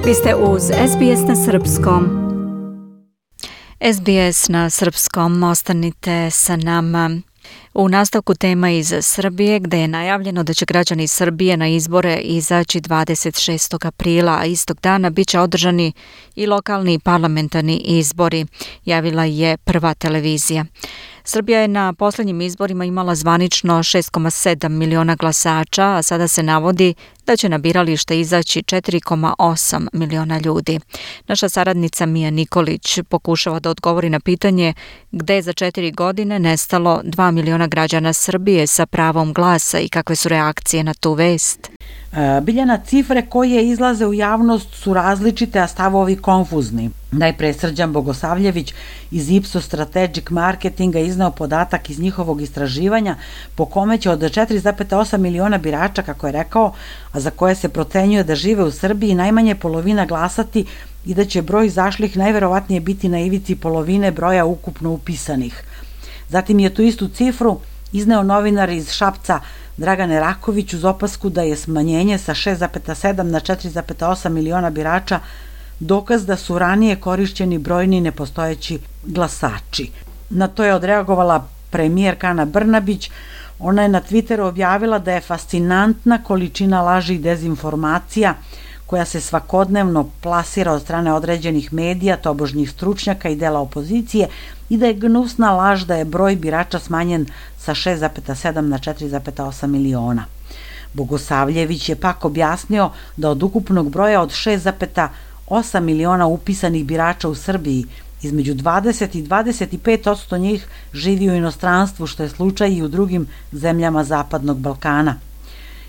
Vi ste uz SBS na Srpskom. SBS na Srpskom, ostanite sa nama. U nastavku tema iz Srbije, gde je najavljeno da će građani Srbije na izbore izaći 26. aprila, a istog dana bit će održani i lokalni i parlamentarni izbori, javila je Prva televizija. Srbija je na posljednjim izborima imala zvanično 6,7 miliona glasača, a sada se navodi da će na biralište izaći 4,8 miliona ljudi. Naša saradnica Mija Nikolić pokušava da odgovori na pitanje gde je za 4 godine nestalo 2 miliona građana Srbije sa pravom glasa i kakve su reakcije na tu vest. Biljana, cifre koje izlaze u javnost su različite, a stavovi konfuzni. Najpre Srđan Bogosavljević iz Ipsos Strategic Marketinga izneo podatak iz njihovog istraživanja po kome će od 4,8 miliona birača, kako je rekao, a za koje se procenjuje da žive u Srbiji, najmanje polovina glasati i da će broj izašlih najverovatnije biti na ivici polovine broja ukupno upisanih. Zatim je tu istu cifru izneo novinar iz Šapca Dragane Raković uz opasku da je smanjenje sa 6,7 na 4,8 miliona birača dokaz da su ranije korišćeni brojni nepostojeći glasači. Na to je odreagovala premijerka Ana Brnabić. Ona je na Twitteru objavila da je fascinantna količina laži i dezinformacija koja se svakodnevno plasira od strane određenih medija, tobožnjih stručnjaka i dela opozicije i da je gnusna laž da je broj birača smanjen sa 6,7 na 4,8 miliona. Bogosavljević je pak objasnio da od ukupnog broja od 6,8 miliona upisanih birača u Srbiji, između 20 i 25% njih živi u inostranstvu, što je slučaj i u drugim zemljama Zapadnog Balkana.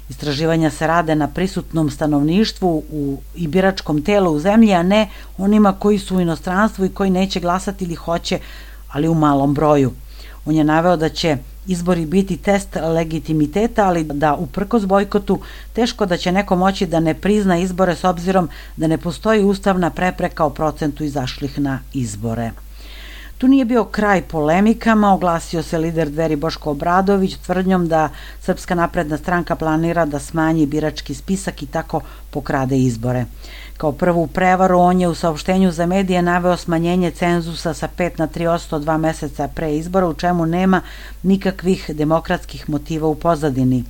Istraživanja se rade na prisutnom stanovništvu i biračkom telu u zemlji, a ne onima koji su u inostranstvu i koji neće glasati ili hoće, ali u malom broju. On je naveo da će izbori biti test legitimiteta, ali da uprkos bojkotu teško da će neko moći da ne prizna izbore s obzirom da ne postoji ustavna prepreka o procentu izašlih na izbore. Tu nije bio kraj polemikama, oglasio se lider Dveri Boško Obradović tvrdnjom da Srpska napredna stranka planira da smanji birački spisak i tako pokrade izbore. Kao prvu prevaru on je u saopštenju za medije naveo smanjenje cenzusa sa 5 na 3% 2 meseca pre izbora, u čemu nema nikakvih demokratskih motiva u pozadini.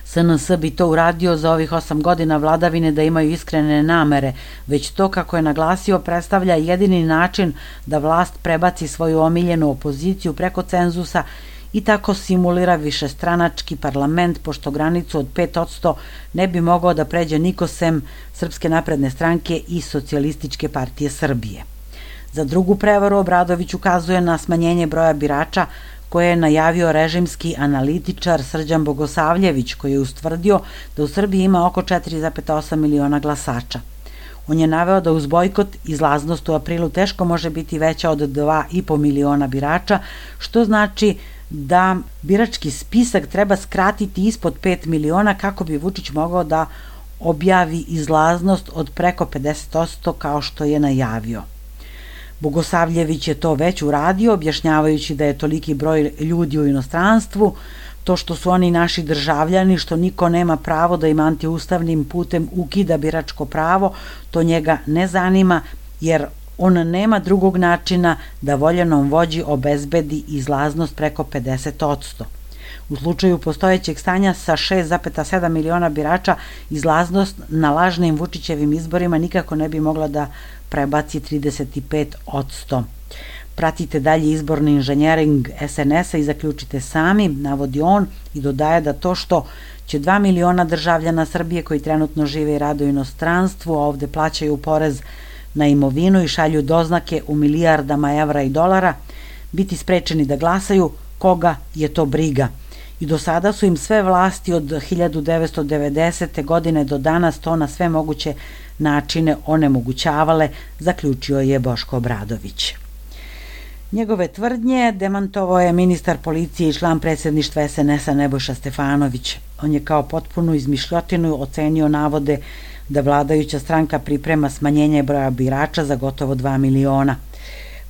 SNS bi to uradio za ovih 8 godina vladavine da imaju iskrene namere, već to, kako je naglasio, predstavlja jedini način da vlast prebaci svoju omiljenu opoziciju preko cenzusa i tako simulira višestranački parlament, pošto granicu od 5% ne bi mogao da pređe niko sem Srpske napredne stranke i Socijalističke partije Srbije. Za drugu prevaru Obradović ukazuje na smanjenje broja birača koje je najavio režimski analitičar Srđan Bogosavljević, koji je ustvrdio da u Srbiji ima oko 4,8 miliona glasača. On je naveo da uz bojkot izlaznost u aprilu teško može biti veća od 2,5 miliona birača, što znači da birački spisak treba skratiti ispod 5 miliona kako bi Vučić mogao da objavi izlaznost od preko 50% kao što je najavio. Bogosavljević je to već uradio, objašnjavajući da je toliki broj ljudi u inostranstvu, to što su oni naši državljani, što niko nema pravo da im antiustavnim putem ukida biračko pravo, to njega ne zanima, jer on nema drugog načina da voljenom vođi obezbedi izlaznost preko 50%. U slučaju postojećeg stanja sa 6,7 miliona birača, izlaznost na lažnim Vučićevim izborima nikako ne bi mogla da prebaci 35%. Pratite dalje izborni inženjering SNS-a i zaključite sami, navodi on, i dodaje da to što će 2 miliona državljana Srbije koji trenutno žive i rade u inostranstvu, a ovde plaćaju porez na imovinu i šalju doznake u milijardama evra i dolara, biti sprečeni da glasaju, koga je to briga. I do sada su im sve vlasti od 1990. godine do danas to na sve moguće načine onemogućavale, zaključio je Boško Obradović. Njegove tvrdnje demantovao je ministar policije i član predsjedništva SNS-a Nebojša Stefanović. On je kao potpunu izmišljotinu ocenio navode da vladajuća stranka priprema smanjenje broja birača za gotovo 2 miliona.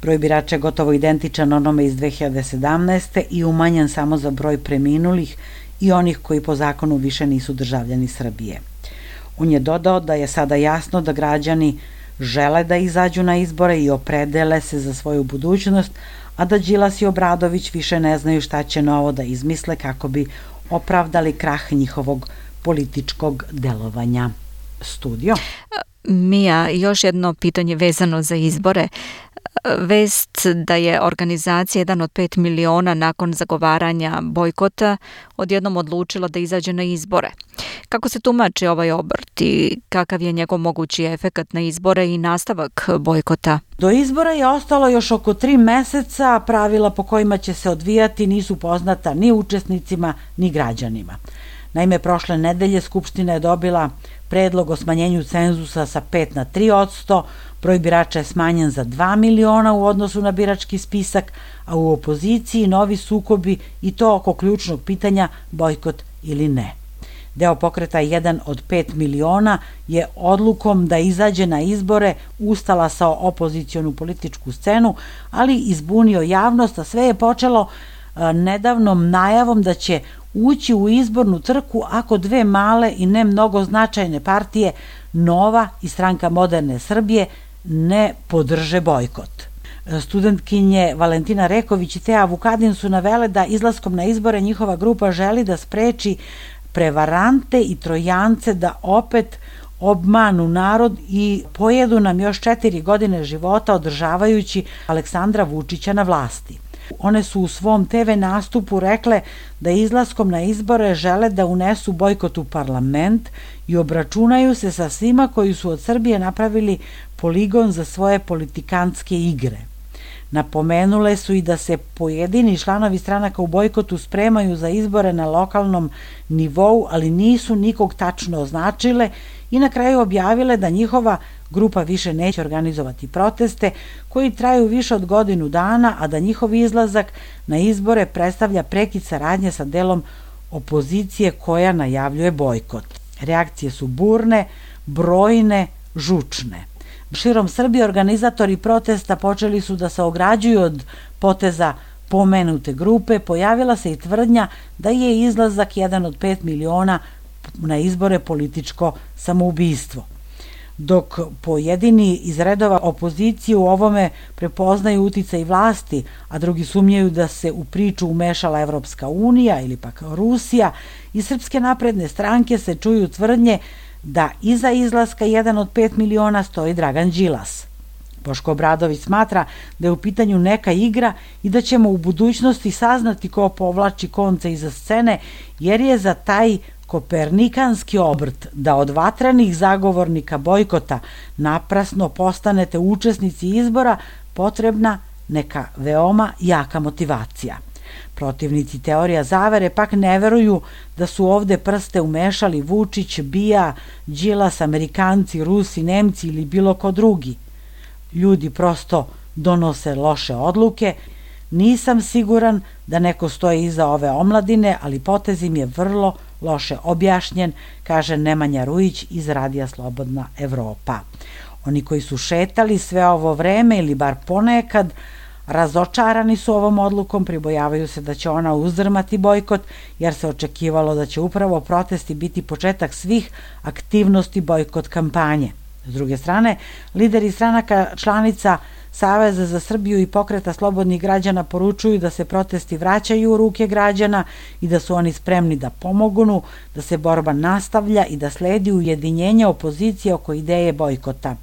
Broj birača je gotovo identičan onome iz 2017. i umanjen samo za broj preminulih i onih koji po zakonu više nisu državljani Srbije. On je dodao da je sada jasno da građani žele da izađu na izbore i opredele se za svoju budućnost, a da Đilas i Obradović više ne znaju šta će novo da izmisle kako bi opravdali krah njihovog političkog delovanja. Studio. Mija, još jedno pitanje vezano za izbore. Vest da je organizacija 1 od 5 miliona nakon zagovaranja bojkota odjednom odlučila da izađe na izbore. Kako se tumači ovaj obrt i kakav je njegov mogući efekat na izbore i nastavak bojkota? Do izbora je ostalo još oko 3 meseca, a pravila po kojima će se odvijati nisu poznata ni učesnicima ni građanima. Naime, prošle nedelje Skupština je dobila predlog o smanjenju cenzusa sa 5 na 3%, broj birača je smanjen za 2 miliona u odnosu na birački spisak, a u opoziciji novi sukobi i to oko ključnog pitanja bojkot ili ne. Deo pokreta 1 od 5 miliona je odlukom da izađe na izbore ustala sa opozicionu političku scenu, ali izbunio javnost, a sve je počelo nedavnom najavom da će ući u izbornu trku ako 2 male i ne mnogo značajne partije, Nova i Stranka moderne Srbije, ne podrže bojkot. Studentkinje Valentina Reković i Teja Vukadin su navele da izlaskom na izbore njihova grupa želi da spreči prevarante i trojance da opet obmanu narod i pojedu nam još 4 godine života održavajući Aleksandra Vučića na vlasti. One su u svom TV nastupu rekle da izlaskom na izbore žele da unesu bojkot u parlament i obračunaju se sa svima koji su od Srbije napravili poligon za svoje politikantske igre. Napomenule su i da se pojedini članovi stranaka u bojkotu spremaju za izbore na lokalnom nivou, ali nisu nikog tačno označile i na kraju objavile da njihova grupa više neće organizovati proteste koji traju više od godinu dana, a da njihov izlazak na izbore predstavlja prekid saradnje sa delom opozicije koja najavljuje bojkot. Reakcije su burne, brojne, žučne. Širom Srbije organizatori protesta počeli su da se ograđuju od poteza pomenute grupe, pojavila se i tvrdnja da je izlazak 1 od 5 miliona na izbore političko samoubistvo. Dok pojedini iz redova opozicije u ovome prepoznaju uticaj vlasti, a drugi sumnjaju da se u priču umešala Evropska unija ili pak Rusija, iz Srpske napredne stranke se čuju tvrdnje da iza izlaska 1 od 5 miliona stoji Dragan Đilas. Boško Obradović smatra da je u pitanju neka igra i da ćemo u budućnosti saznati ko povlači konce iza scene, jer je za taj kopernikanski obrt da od vatrenih zagovornika bojkota naprasno postanete učesnici izbora potrebna neka veoma jaka motivacija. Protivnici teorija zavere pak ne veruju da su ovde prste umešali Vučić, Bija, Đilas, Amerikanci, Rusi, Nemci ili bilo ko drugi. Ljudi prosto donose loše odluke. Nisam siguran da neko stoji iza ove omladine, ali potez im je vrlo loše objašnjen, kaže Nemanja Rujić iz Radija Slobodna Evropa. Oni koji su šetali sve ovo vreme ili bar ponekad razočarani su ovom odlukom, pribojavaju se da će ona uzdrmati bojkot, jer se očekivalo da će upravo protesti biti početak svih aktivnosti bojkot kampanje. S druge strane, lideri stranaka članica Saveza za Srbiju i Pokreta slobodnih građana poručuju da se protesti vraćaju u ruke građana i da su oni spremni da pomognu, da se borba nastavlja i da sledi ujedinjenje opozicije oko ideje bojkota.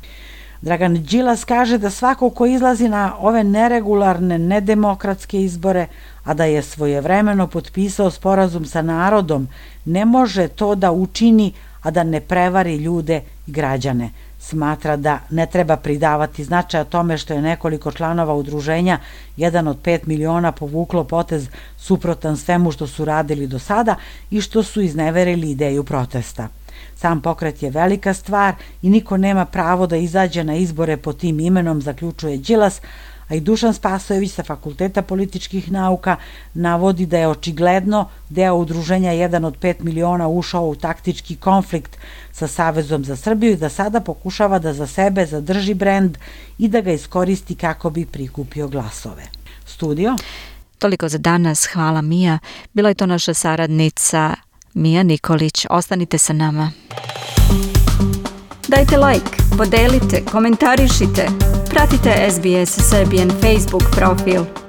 Dragan Đilas kaže da svako ko izlazi na ove neregularne, nedemokratske izbore, a da je svojevremeno potpisao sporazum sa narodom, ne može to da učini, a da ne prevari ljude i građane. Smatra da ne treba pridavati značaja tome što je nekoliko članova udruženja 1 od 5 miliona povuklo potez suprotan svemu što su radili do sada i što su izneverili ideju protesta. Sam pokret je velika stvar i niko nema pravo da izađe na izbore pod tim imenom, zaključuje Đilas, a i Dušan Spasojević sa Fakulteta političkih nauka navodi da je očigledno deo udruženja 1 od 5 miliona ušao u taktički konflikt sa Savezom za Srbiju i da sada pokušava da za sebe zadrži brend i da ga iskoristi kako bi prikupio glasove. Studio? Toliko za danas, hvala Mija. Bila je to naša saradnica Mija Nikolić. Ostanite sa nama. Dajte like, podelite, komentarišite. Pratite SBS Serbian Facebook profil.